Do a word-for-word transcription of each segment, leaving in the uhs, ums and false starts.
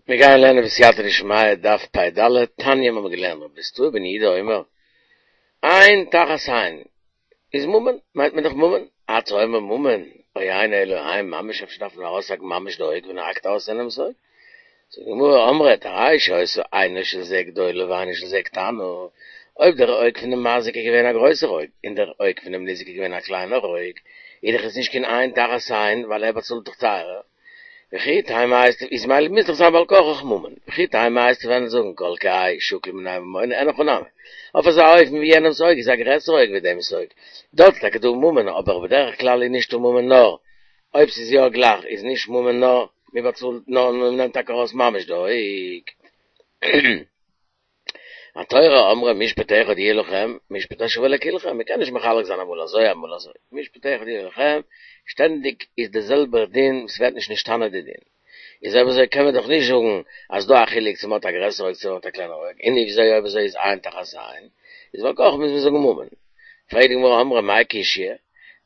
מיר גייען לערנען בסייעתא דשמיא דף פ"ד, תניא מיר האבן געלערנט רבי בסתואי בן יהודה אומר, עין תחת עין איז ממון, מיינט מען דאך ממון, אתה אומר ממון, או אינו אלא עין ממש אפשר דארף מען ארויסהאקן ממש די אויג ווען ער האקט ארויס יענעמס אויג? זאגט די גמרא אמרת הרי שהיתה עינו של זה גדולה ועינו של זה קטנה, אויב דער אויג פונעם מזיק איז געווען א גרויסער אויג און דער אויג פונעם ניזק איז געווען א קליינער אויג, איז דאך עס נישט קיין עין תחת עין ווייל ער באצאלט דאך טייערער. וכי תימא הייסט איז ממילא מוז דאך זיין בעל כרחך ממון, וכי תימא הייסט וועלן זאגן כל כהאי שקיל מיניה ממונא אין הכי נמי, אויף אזא אופן ווי יענעמס אויג איז א גרעסער אויג ווי דעמס אויג, דארט איז טאקע דא ממון אבער בדרך כלל איז נישטא ממון נאר אויב ס'איז יא גלייך איז נישט ממון נאר מ'באצאלט נאר מ'נעמט טאקע ארויס ממש די אויג. התורה אמרה משפט אחד יהיה לכם, משפט השווה לכולכם, מ'קען נישט מחלק זיין אמאל אזוי אמאל אזוי, משפט אחד יהיה לכם, שטענדיג איז די זעלבער דין, ס'ווערט נישט נשתנה די דין. איז אויב אזוי קען מען דאך נישט זאגן אז דא א חילוק צו מ'האט א גרעסער אויג צו מ'האט א קלענער אויג, און וויאזוי אויב אזוי איז עין תחת עין, איז בעל כרחך מוז מען זאגן ממון. פרעגט די גמרא אמרי מאי קשיא,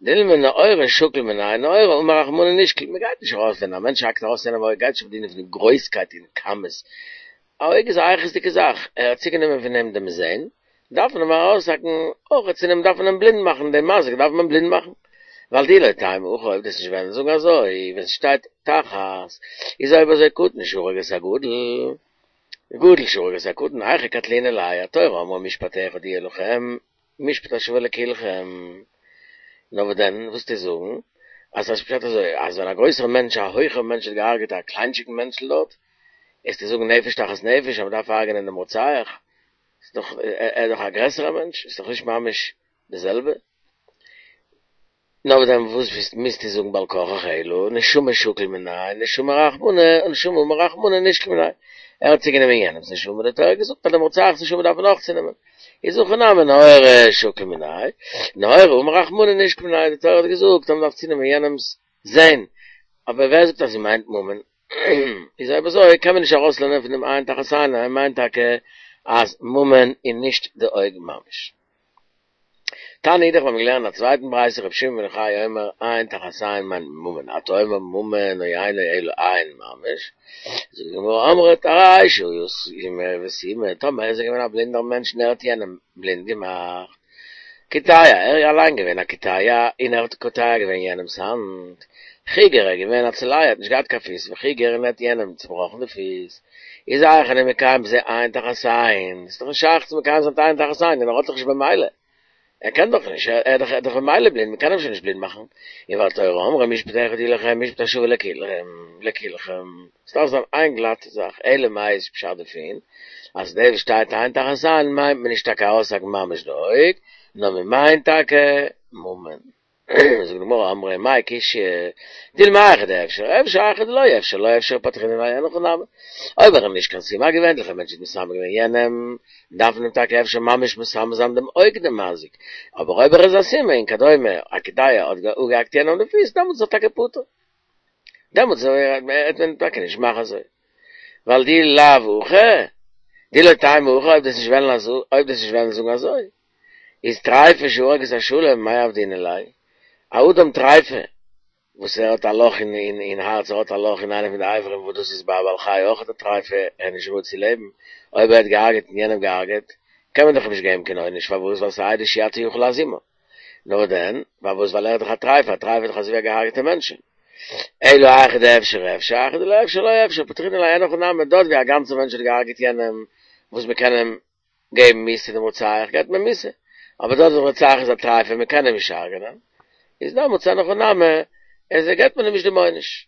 דילמא נהורא שקיל מיניה, נהורא אמר רחמנא נשקול, מ'גייט נישט ארויס ווען א מענטש האקט ארויס יענעם אויג גייט נישט אויף די דין פון גרויסקייט און כמות, א אויג איז א איכות'דיגע זאך, ער האט צוגענומען פון אים דעם זען, דארף מען אים ארויסהאקן, אויך צו אים דארף מען אים בלינד מאכן, דעם מזיק דארף מען בלינד מאכן, ווייל דאי לא תימא הכי אויב דו'סט נישט וועלן זאגן אזוי, ווען ס'שטייט תחת, איז אויב אזוי קטן שהרג את הגדול, גדול שהרג את הקטן, היכי קטלינן ליה, התורה אמרה משפט אחד יהיה לכם, משפט השווה לכולכם. נאר וואס דען, וואס טו זאגן, אז ס'איז פשט אזוי, אז ווען א גרויסער מענטש, א הויכער מענטש האט געהארגעט א קליינטשיגן מענטשל דארט, וועסטו זאגן נפש תחת נפש אז מ'דארף הרג'נען דעם רוצח, ס'איז דאך, ער איז דאך א גרעסערע מענטש, ס'איז דאך נישט ממש די זעלבע. נאר וואס דען וואס מוזטו זאגן בעל כרחך אלא נשמה שקיל מיניה נשמה רחמנא נשמה אמר רחמנא נשקול מיניה ער האט צוגענומען יענעמס נשמה די תורה האט געזאגט אז דעם רוצח'ס נשמה דארף מען אויך צונעמען איז הכא נמי נהורא שקיל מיניה נהורא אמר רחמנא נשקול מיניה די תורה האט געזאגט אז מען דארף צונעמען יענעמס זען אבער ווער זאגט אז זי מיינט ממון איז אויב אזוי קען מען נישט ארויסלערנען פון דעם עין תחת עין אז ער מיינט טאקע אז ממון איז נישט די אויג ממש. תניא אידך האבן געלערנט א צווייטן ברייתא רבי שמעון בן יוחאי אומר עין תחת עין מיינט ממון אתה אומר ממון או אינו אלא עין ממש זאגט די גמרא אמרת הרי שהיה סומא וסימא טאמער איז ער געווען א בלינדער מענטש און ער האט יענעם בלינד געמאכט קיטע ער איז אליין געווען א קיטע און ער האט קוטע געווען יענעמס האנט חיגר ער איז געווען א צולע ער האט נישט געהאט קיין פיס וחיגר און ער האט יענעם צובראכן די פיס איז היאך אני מקיים בזה עין תחת עין ס'איז דאך נישט שייך צו מקיים זיין עין תחת עין און ער האט דאך נישט במילא ער קען דאך נישט, ער איז דאך במילא בלינד, מען קען אים שוין נישט בלינד מאכן. און והתורה אמרה משפט אחד יהיה לכם משפט השווה לכולכם, עס דארף זיין איין גלאטע זאך, אלא מאי איז פשט דערפון, אז דאס וואס שטייט עין תחת עין מיינט מען נישט טאקע ארויסהאקן ממש די אויג, נאר מען מיינט טאקע ממון. זאגט די גמרא אמרי מאי קשיא, דילמא היכא דאפשר, אפשר היכא דלא אפשר, לא אפשר פטרינן ליה אין הכי נמי. אויב ער איז נישט קיין סומא, א געווענליכער מענטש האט מסמא געווען יענעם, דארף מען אים טאקע אפשר ממש מסמא זיין דעם אויג דעם מזיק, אבער אויב ער איז א סומא און כדומה א קיטע האט אפגעהאקט יענעם די פיס, דעמאלטס איז ער טאקע פטור. דעמאלטס וועט מען טאקע נישט מאכן אזוי. ווייל דאי לאו הכי, דאי לא תימא הכי אויב דו'סט נישט וועלן אזוי, אויב דו'סט נישט וועלן זאגן אזוי, איז טריפה שהרג את השלם מאי עבדינן ליה, א אדם טריפה וואס ער האט א לאך אין אין הארץ ער האט א לאך אין איינע פון די אברים וואס דאס איז ביי א בעל חי אויך א טריפה ער איז נישט ראוי צו לעבן, אויב ער האט געהארגעט און יענעם געהארגעט קען מען דאך אים נישט געבן קיין עונש פארוואס ווייל ס'איז עדות שאי אתה יכול להזימה נאר דען פארוואס ווייל ער איז דאך א טריפה א טריפה איז דאך אזויווי א געהארגעטע מענטש אלא היכא דאפשר אפשר היכא דלא אפשר לא אפשר פטרינן ליה אין הכי נמי דארט ווי א גאנצע מענטש האט געהארגעט יענעם וואס מ'קען אים געבן מיתה דעם רוצח געבט מען מיתה, אבער דארט ווי דער רוצח איז א טרייפה מען קען אים נישט הרג'נען, איז דעמאלטס אין הכי נמי, איז געבט מען אים נישט דעם עונש.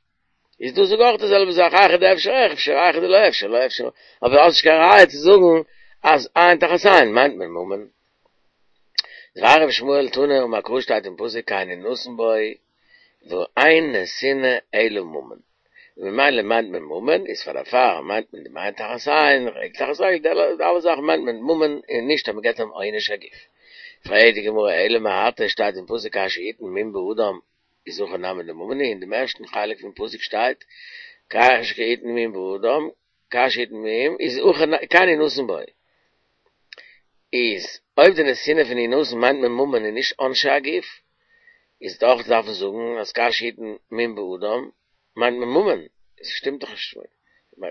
איז דא זאג אויך די זעלבע זאך, היכא דאפשר אפשר, היכא דלא אפשר לא אפשר, אבער האסט נישט קיין ראיה צו זאגן אז עין תחת עין מיינט מען ממון. דבי רבי ישמעאל תנא אמר קרא שטייט אין פסוק כן ינתן בו ואין נתינה אלא ממון. ממילא מיינט מען ממון, איז פאר דערפאר מיינט מען דעם עין תחת עין, רגל תחת רגל, די אלע זאכן מיינט מען ממון און נישט אז מען געבט אים עונש הגוף. פרעגט די גמרא אלא מעתה שטייט אין פסוק כאשר יתן מום באדם איז הכא נמי דממון הוא, אין דעם ערשטן חלק פון פסוק שטייט כאשר יתן מום באדם כאשר יתן מום איז הכא כן ינתן בו איז אויב די נתינה פון ינתן מיינט מען ממון און נישט עונשי הגוף איז דאך דארף מען זאגן אז כאשר יתן מום באדם מיינט מען ממון, עס שטימט דאך נישט.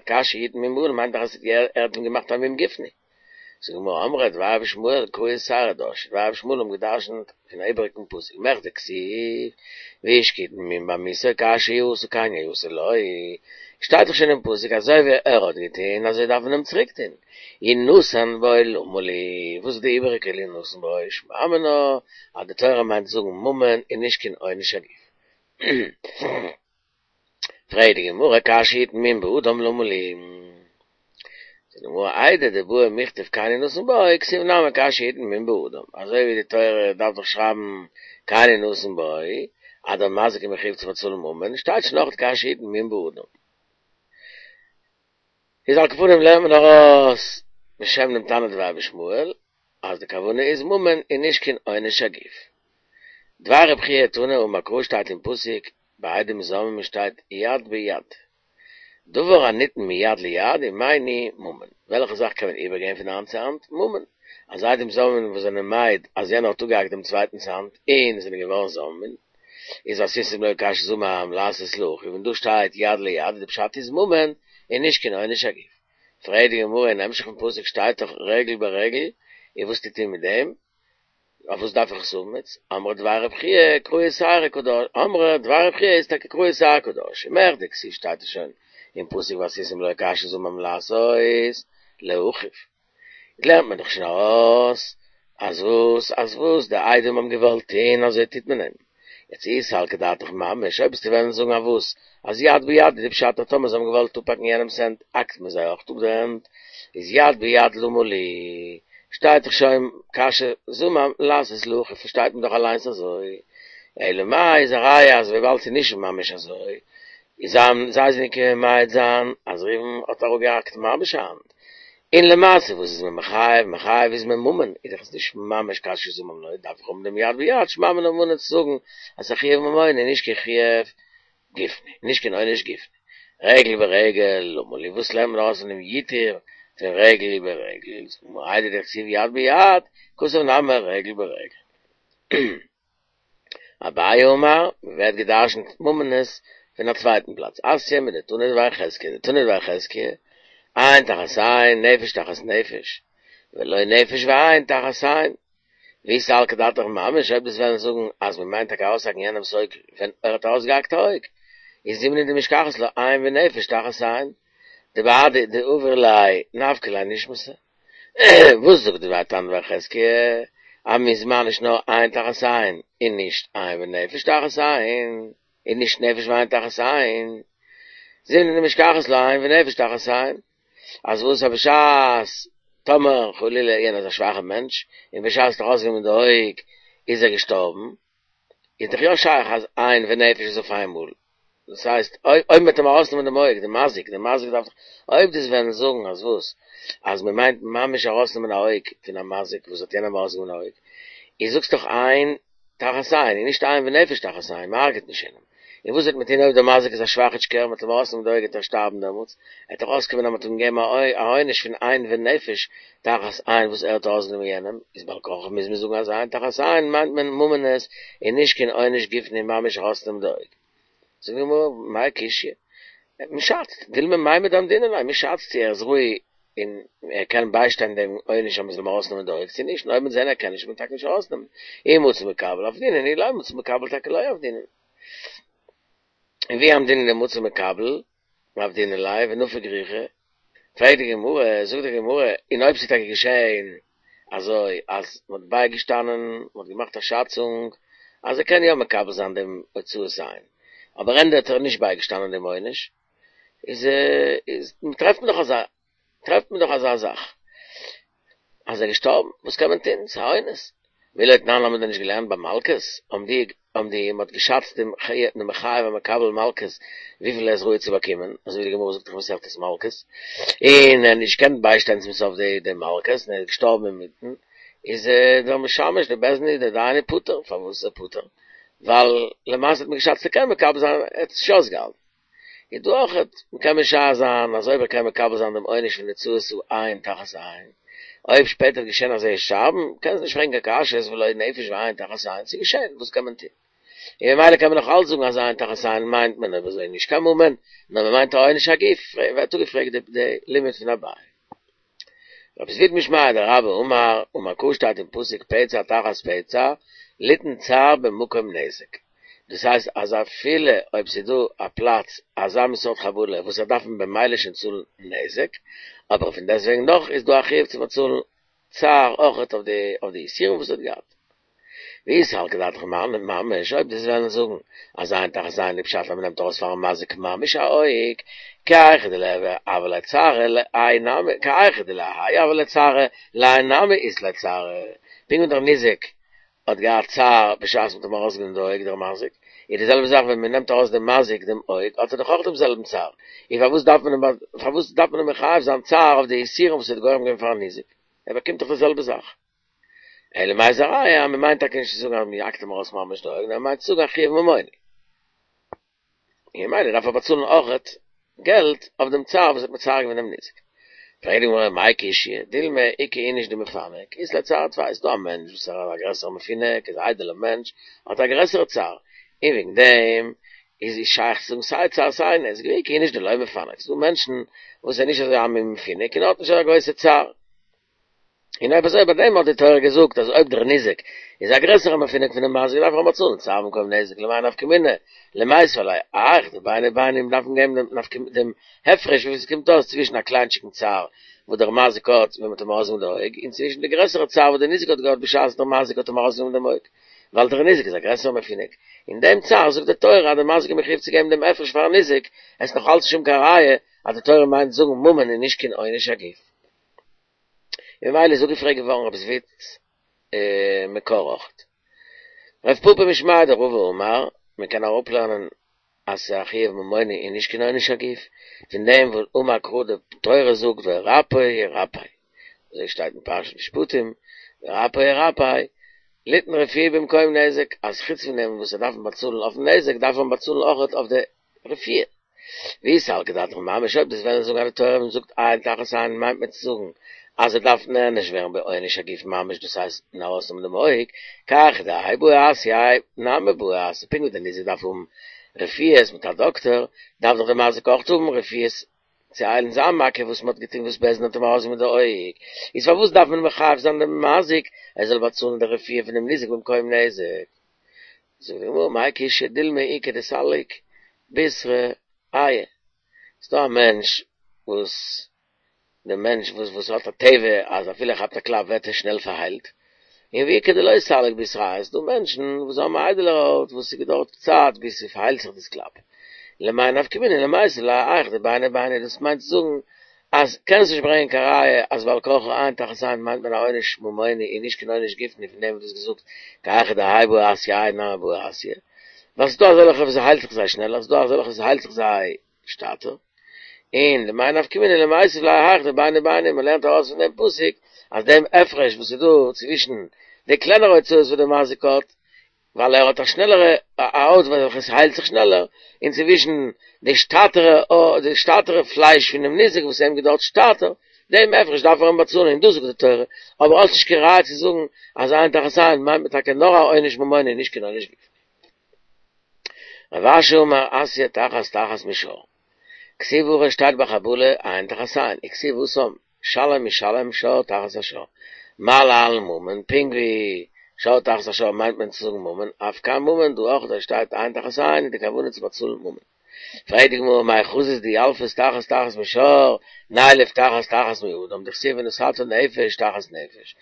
כאשר יתן מום באדם מיינט דאך אז ער האט אים געמאכט א מום גופני. זאגט די גמרא אמרי דבר רבי ישמעאל קריעת שערה דרשי, דבר רבי ישמעאל האבן געדרשנט פון א איבעריגן פסוק מכדי כתיב ואיש כי יתן מום בעמיתו כאשר עשה כן יעשה לו, שטייט דאך שוין אין פסוק אזוי ווי ער האט געטון אזוי דארף מען אים צוריק טון, ינתן בו למה לי, וואס איז די איבעריגע ינתן בו, שמע מינה אז די תורה מיינט זאגן ממון און נישט קיין עונש הגוף. פרעגט די גמרא כאשר יתן מום באדם למה לי? זאגט די גמרא איידי דבעי מיכתב כן ינתן בו כתיב נמי כאשר יתן מום באדם, אזוי ווי די תורה דארף דאך שרייבן כן ינתן בו אז דער מזיק איז מחויב צו באצאלן ממון, שטייט שוין אויך כאשר יתן מום באדם. איז על כל פנים לערנט מען ארויס בשם דעם תנא דבי רבי ישמעאל אז די כוונה איז ממון און נישט קיין עונש הגוף. דבר רבי חייא תנא אמר קרא שטייט אין פסוק ביי עדים זוממין שטייט יד ביד. דבר הניתן מיד ליד ומאי ניהו ממון. וועלכע זאך קען מען איבערגעבן פון האנט צו האנט? ממון. אז עדים זוממין וואס זענען מעיד אז יענער האט אפגעהאקט דעם צווייטנס האנט און זענען געווארן זוממין, איז ועשיתם לו כאשר זמם לעשות לאחיו, און דא שטייט יד ליד, די פשט איז ממון און נישט קיין עונש הגוף. פרעגט די גמרא אין המשך פון פסוק שטייט דאך רגל ברגל, און וואס טוט איר מיט דעם? אויף וואס דארף איך עס האבן יעצט? אמרי דבר רבי חייא קריעת שערה קא דרשי, אמרי דבר רבי חייא איז טאקע קריעת שערה קא דרשי, מכדי כתיב שטייט עס שוין אין פסוק ועשיתם לו כאשר זמם לעשות לאחיו. לערנט מען דאך שוין ארויס אז וואס אז וואס די עדים האבן געוואלט טוהן אזוי טוט מען אים. יעצט אי סלקא דעתך ממש אויב וועסטו וועלן זאגן אז וואס אז יד ביד איז די פשט אז טאמער זיי האבן געוואלט אפהאקן יענעמס הענט האקט מען זיי אויך אפ די הענט איז יד ביד למה לי שטייט דאך שוין כאשר זמם לעשות לאחיו פארשטייט מען דאך אליינס אזוי אלא מאי איז א ראיה אז וויבאלד ס'איז נישט ממש אזוי איז זיי זענען געקומען מעיד זיין אז ראובן האט אראפגעהאקט ממש א האנט און למעשה וואס איז מען מחייב? מחייב איז מען ממון, איז דאך עס נישט ממש כאשר זמם לו, דארף איך האבן דעם יד ביד, שמע מינה ממון צו זאגן אז ס'איז א חיוב ממוני און נישט קיין חיוב גופני, נישט קיין עונש גופני. רגל ברגל, למה לי, וואס לערנט מען ארויס פון דעם ייתור פון רגל ברגל? זאגט די גמרא איידי דכתיב יד ביד, כתב נמי רגל ברגל. אביי אמר, ווערט געדרשנט ממונות פון א צווייטן פלאץ, אתיא מדתנא דבי חזקיה, דתנא דבי חזקיה, עין תחת עין, נפש תחת נפש, ולא נפש ועין תחת עין. ואי סלקא דעתך ממש, אויב דו'סט וועלן זאגן אז מען מיינט טאקע ארויסהאקן יענעמ'ס אויג ווען ער האט ארויסגעהאקט א אויג, איז זימנין דמשכחת לה עין ונפש תחת עין, דבהדי דעבר ליה נפקא ליה נשמתא. וואס זאגט די תנא דבי חזקיה אז מ'איז מעניש נאר עין תחת עין און נישט עין ונפש תחת עין און נישט נפש ועין תחת עין זימנין דמשכחת לה עין ונפש תחת עין אז וואס אז בשעת טאמער חלילה יענער איז א שוואכע מענטש און בשעת האט ארויסגענומען די אויג איז ער געשטארבן איז דאך יא שייך אז עין ונפש איז אויף איינמאל דאס הייסט, אויב מ'וועט אים ארויסנעמען דעם אויג, דער מזיק, דער מזיק דארף דאך, אויב דו'סט וועלן זאגן אז וואס? אז מ'מיינט ממש ארויסנעמען א אויג פון א מזיק וואס האט יענעם ארויסגענומען א אויג, איז זאגסט דאך עין תחת עין, און נישט עין ונפש תחת עין, מ'הרג'עט נישט יענעם. און וואס וועט מען טון אויב דער מזיק איז א שוואכיטשקער, מ'וועט אים ארויסנעמען די אויג וועט ער שטארבן דעמאלטס, עט דאך אויסקומען אז מ'האט אים געגעבן א עונש פון עין ונפש תחת עין וואס ער האט ארויסגענומען יענעם, איז בעל כרחך מוז מען זאגן אז עין תחת עין מיינט מען ממונות און נישט קיין עונש גופני ממש ארויסנעמען די אויג. זאגט די גמרא, מאי קשיא? מען שאצט, דילמא מימד אמדינן ליה, מען שאצט צו ער איז ראוי און ער קען ביישטיין דעם עונש אז מען זאל אים ארויסנעמען די אויג צו נישט, און אויב מ'וועט זען ער קען נישט וועט מען טאקע נישט ארויסנעמען, אי מצי מקבל עבדינן אי לא מצי מקבל טאקע לא עבדינן. און ואי אמדינן דמצי מקבל עבדינן ליה ונפיק רוחיה, פרעגט די גמרא, זאגט די גמרא, און אויב ס'איז טאקע געשען אזוי אז מ'האט בייגעשטאנען, מ'האט געמאכט א שאצונג אז ער קען יא מקבל זיין דעם הוצאת עין, אבער ענדע האט ער נישט בייגעשטאנען דעם עונש, איז איז טרעפט מען דאך אזא טרעפט מען דאך אזא זאך אז ער איז געשטארבן, וואס קען מען טון, ס'איז א אונס. מי לא תנן האבן מיר דען נישט געלערנט ביי מלקות, האבן די האבן די מ'האט געשאצט דעם דעם חייב המקבל מלקות וויפיל ער איז ראוי צו באקומען, אזוי ווי די גמרא זאגט דאך מסכת מלקות, און ער האט נישט געקענט ביישטיין צום סוף די די מלקות און ער איז געשטארבן אינמיטן, איז דער משמש דער בית דין דער דיין איז פטור, פארוואס איז ער פטור? ווייל למעשה האט מען געשאצט ער קען מקבל זיין, ער האט עס נישט אויסגעהאלטן. איז דא אויך, מ'קען משער זיין אז אויב ער קען מקבל זיין דעם עונש פון הוצאת עין תחת עין, אויב שפעטער וועט געשען אז ער וועט שטארבן, קען עס נישט פרעגן קיין קשיות ולא נפש ועין תחת עין, ס'איז געשען, וואס קען מען טון? און ממילא קען מען נאך אלץ זאגן אז עין תחת עין מיינט מען אויב אזוי נישט קיין ממון, נאר מען מיינט א עונש הגוף, ווערט אפגעפרעגט די לימוד פון אביי. רב זביד משמיה דרבה אמר, אמר קרא שטייט אין פסוק פצע תחת פצע, ליתן צער במקום נזק. דאס הייסט אז אפילו אויב ס'איז דא א פלאץ אזא מין סארט חבלה וואס ער דארף מען במילא שוין צאלן נזק, אבער פון דעסטוועגן נאך איז דא א חיוב צו באצאלן צער אויכעט אויף די אויף די יסורים וואס ער האט געהאט. ואי סלקא דעתך ממש, אויב דו וועסט וועלן זאגן אז עין תחת עין איז פשט אז מ'נעמט ארויס פארן מזיק ממש א אויג, כי היכי דליהוי הוה ליה צערא להאי נמי, כי היכי דלהאי הוה ליה צערא, להאי נמי אית ליה צערא, פונקט ווי דער ניזק האט געהאט צער בשעת מ'האט אים ארויסגענומען די אויג דער מזיק, איז די זעלבע זאך ווען מ'נעמט ארויס דעם מזיק דעם אויג האט ער דאך אויך דעם זעלבן צער, און פארוואס דארף מען אים פארוואס דארף מען אים מחייב זיין צער אויף די יסורים וואס ער האט גורם געווען פארן ניזק, ער באקומט דאך די זעלבע זאך. אלא מאי איז א ראיה אז מ'מיינט טאקע נישט צו זאגן אז מ'האקט אים ארויס ממש די אויג, נאר מ'מיינט צו זאגן א חיוב ממוני. און ממילא דארף ער באצאלן אויכעט געלט אויף דעם צער וואס האט מצער געווען דעם ניזק. פרעגט די גמרא מאי קשיא, דילמא איכא איניש דמפנק, אית ליה צערא טפי, ס'דא א מענטש וואס איז א גרעסערע מפונק, איז א איידעלער מענטש, האט א גרעסערע צער, און וועגן דעם איז שייך צו זאגן סיי צער סיי נזק, ואיכא איניש דלא מפנק, ס'דא מענטשן וואס איז נישט אזוי א מין מפונק און האט נישט אזא גרויסע צער. און אויב אזוי ביי דעם האט די תורה געזאגט אז אויב דער ניזק איז א גרעסערע מפונק פונעם מזיק דארף ער אים באצאלן צער במקום נזק למאי נפקא מינה למיתב ליה האיך דביני ביני דארף מען געבן דעם נפקא דעם הפרש וויפיל ס'קומט אויס צווישן א קליינטשיגן צער וואס דער מזיק האט ווען מ'האט אים ארויסגענומען די אויג און צווישן די גרעסערע צער וואס דער ניזק האט געהאט בשעת דער מזיק האט אים ארויסגענומען דעם אויג ווייל דער ניזק איז א גרעסערע מפונק און דעם צער זאגט די תורה אז דער מזיק איז מחויב צו געבן דעם הפרש פארן ניזק עס איז נאך אלץ נישט שום קיין ראיה אז די תורה מיינט זאגן ממון און נישט קיין עונש הגוף. ממילא איז אפגעפרעגט געווארן רב זביד'ס מקור אויכעט. רב פפא משמיה דרבא אמר, מען קען אראפלערנען אז ס'איז א חיוב ממוני און נישט קיין עונש הגוף, פון דעם וואס אמר קרא די תורה זאגט ורפא ירפא, אזוי שטייט אין פרשת משפטים, ורפא ירפא, ליתן רפואה במקום נזק, אז חוץ פון דעם וואס ער דארף באצאלן אויפן נזק דארף מען באצאלן אויכעט אויף די רפואה. ואי סלקא דעתך ממש אויב דו וועסט וועלן זאגן אז די תורה ווען זאגט עין תחת עין מיינט מען צו זאגן אז ער דארף נענש ווערן בעונש הגוף ממש דאס הייסט אין ארויסנעמען דעם אויג, כי היכי דהאי בעי אסיא האי נמי בעי אסיא פונקט ווי דער ניזק דארף האבן רפואות מיט א דאקטאר דארף דאך דער מזיק אויך האבן רפואות צו היילן זיין מכה וואס מען האט געטון וואס בית דין האט אים ארויסגענומען די אויג, איז פארוואס דארף מען מחייב זיין דעם מזיק ער זאל באצאלן די רפואה פונעם ניזק במקום נזק? זאגט די גמרא מאי קשיא דילמא איכא דסליק בישרא עיא, ס'דא א מענטש וואס די מענטש וואס וואס האט א טבע אז אפילו ער כאפט א קלאפ ווערט ער שנעל פארהיילט, און ואיכא דלא סליק בישרא עיא, ס'דא מענטשן וואס האבן א איידעלערע הויט וואס ס'געדויערט צייט ביז ס'פארהיילט זיך דאס קלאפ, למאי נפקא מינה למיתב ליה האיך דביני ביני דאס מיינט צו זאגן אז קענסט נישט ברענגען קיין ראיה אז ועל כרחך עין תחת עין מיינט מען א עונש ממוני און נישט קיין עונש גופני פון דעם וואס דו האסט געזאגט כי היכי דהאי בעי אסיא האי נמי בעי אסיא ווייל ס'דא אזעלכע וואס ס'היילט זיך זיי שנעלער ס'דא אזעלכע וואס ס'היילט זיך זיי שטאטער און למאי נפקא מינה למיתב ליה האיך דביני ביני מ'לערנט ארויס פון דעם פסוק אז דעם הפרש וואס איז דא צווישן די קלענערע הוצאות וואס דער מזיק האט ווייל ער האט א שנעלערע הויט וועלכע עס היילט זיך שנעלער, און צווישן די שטאטערע די שטאטערע פלייש פונעם ניזק וואס אים געדויערט שטאטער, דעם הפרש דארף ער אים באצאלן און דאס זאגט די תורה, אבער האסט נישט קיין ראיה צו זאגן אז עין תחת עין מיינט מען טאקע נאר א עונש ממוני און נישט קיין עונש גופני. רב אשי אמר אתיא תחת תחת משור. כתיב הכא שטייט ביי חבלה עין תחת עין, וכתיב התם שלם ישלם שור תחת השור. מה להלן ממון, פונקט ווי שור תחת השור מיינט מען צו זאגן ממון, אף כאן ממון, דא אויך דא שטייט עין תחת עין איז די כוונה צו באצאלן ממון. פרעגט די גמרא מאי חזית דילפת תחת תחת משור, נילף תחת תחת מאדם, דכתיב ונתתה נפש תחת נפש.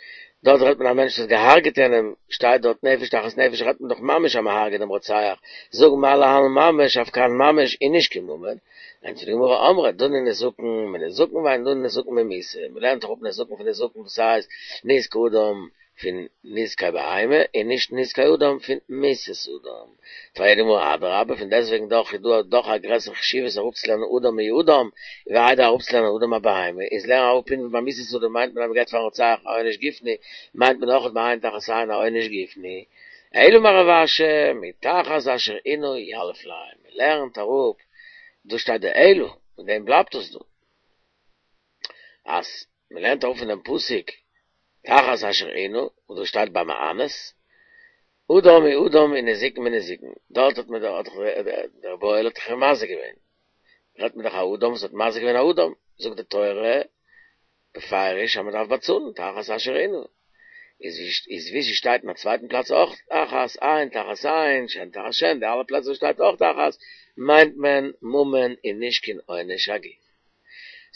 דארט רעדט מען א מענטש וואס האט געהארגעט יענעם, שטייט דארט נפש תחת נפש רעדט מען דאך ממש אז מען הארגעט דעם רוצח, זאג מה להלן ממש אף כאן ממש און נישט קיין ממון. ענטפערט די גמרא אמרי דנין נזקין מנזקין ואין דנין נזקין ממיתה, מען לערנט דאך אפ נזקין פון נזקין וואס הייסט נזקי אדם פון נזקי בהמה און נישט נזקי אדם פון מיתת אדם. פרעגט די גמרא אדרבה פון דעסטוועגן דאך איז דא דאך א גרעסערע חשיבות אראפצולערנען אדם מאדם ווי איידער אראפצולערנען אדם מבהמה, איז לערן אראפ פונקט ווי ביי מיתת אדם מיינט מען אז מ'געבט פארן רוצח א עונש גופני, מיינט מען אויך ביי עין תחת עין א עונש גופני. אלא אמר רב אשי, מתחת אשר עינו יליף ליה, מ'לערנט אראפ, דא שטייט די אלא, מיט דעם בלייבט עס דא. אז מ'לערנט אראפ פון דעם פסוק תחת אשר עינו, וואס דא שטייט ביי מאנס, אדם מאדם און נזיקין מנזיקין, דארט האט מען דאך דער בועל האט דאך אים מזיק געווען, רעדט מען דאך א אדם וואס האט מזיק געווען א אדם, זאגט די תורה בפירוש אז מען דארף באצאלן תחת אשר עינה, איז איז ווי ס'שטייט אין א צווייטן פלאץ אויך תחת עין תחת עין שן תחת שן, די אלע פלעצער וואס שטייט אויך תחת מיינט מען ממון און נישט קיין עונש הגוף.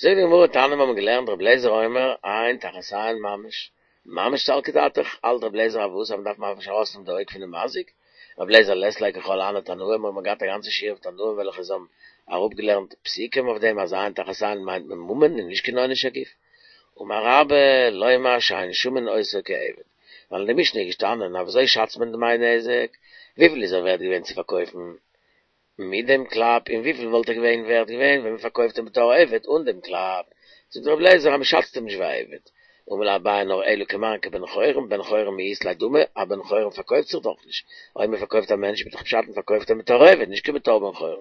זאגט די גמרא תניא מיר האבן געלערנט רבי אליעזר אומר עין תחת עין ממש, ממש סלקא דעתך, האלט רבי אליעזר אז וואס אז מ'דארף ממש ארויסנעמען די אויג פונעם מזיק, רבי אליעזר לית ליה ככל הני תנאי, מיר האבן געהאט א גאנצע שיעור אויף תנאים וועלכע זיי האבן אראפגעלערנט פסוקים אויף דעם אז עין תחת עין מיינט מען ממון און נישט קיין עונש הגוף. אמר רבה, לומר שאין שמין אותו כעבד, ווייל אין די משנה איז געשטאנען אז וויאזוי שאצט מען דמי נזק, וויפיל איז ער ווערט געווען צו פארקויפן מיט דעם קלאפ און וויפיל וואלט ער געווען ווערט געווען ווען מען פארקויפט אים בתור עבד אן דעם קלאפ, זאגט רבי אליעזר אז מען שאצט אים נישט ווי א עבד, אמר ליה אביי נאר אלא כמאן כבן חורין, בן חורין מי אית ליה דמי, א בן חורין פארקויפט זיך דאך נישט, אויב מען פארקויפט א מענטש איז דאך פשט מען פארקויפט אים בתור עבד נישט כבתור בן חורין,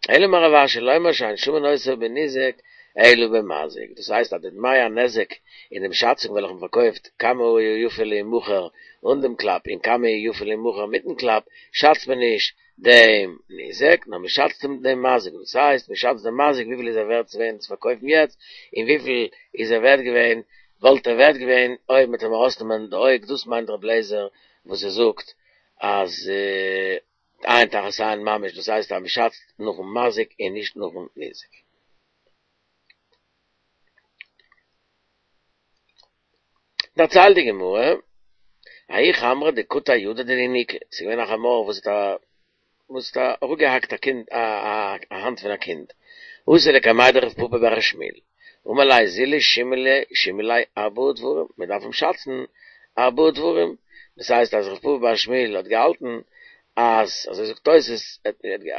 אלא אמר רב אשי לומר שאין שמין אותו בניזק אלא במזיק, דאס הייסט אז די דמי הנזק אין דעם שאצונג וועלכע מען פארקויפט כמה הוא יפה להימכר אן דעם קלאפ און כמה הוא יפה להימכר מיטן קלאפ שאצט מען נישט דעם ניזק נאר מען שאצט אים דעם מזיק, דאס הייסט מען שאצט דעם מזיק וויפיל איז ער ווערט געווען צו פארקויפן יעצט און וויפיל איז ער ווערט געווען וואלט ער ווערט געווען אויב מ'האט אים ארויסנעמען די אויג, דאס מיינט ר' אליעזר וואס ער זאגט אז עין תחת עין ממש, דאס הייסט אז מ'שאצט נאכן מזיק און נישט נאכן ניזק. דערציילט די גמרא, ההוא חמרא דקטע ידא דינוקא, ס'איז געווען א חמור וואס האט א וואס האט אראפגעהאקט א קינד א האנט פון א קינד, אתא לקמיה דרב פפא בר שמואל, אמר ליה זילו שימי ליה ארבעה דברים, מען דארף אים שאצן ארבעה דברים, דאס הייסט אז רב פפא בר שמואל האט געהאלטן אז, אזוי זאגט תוס',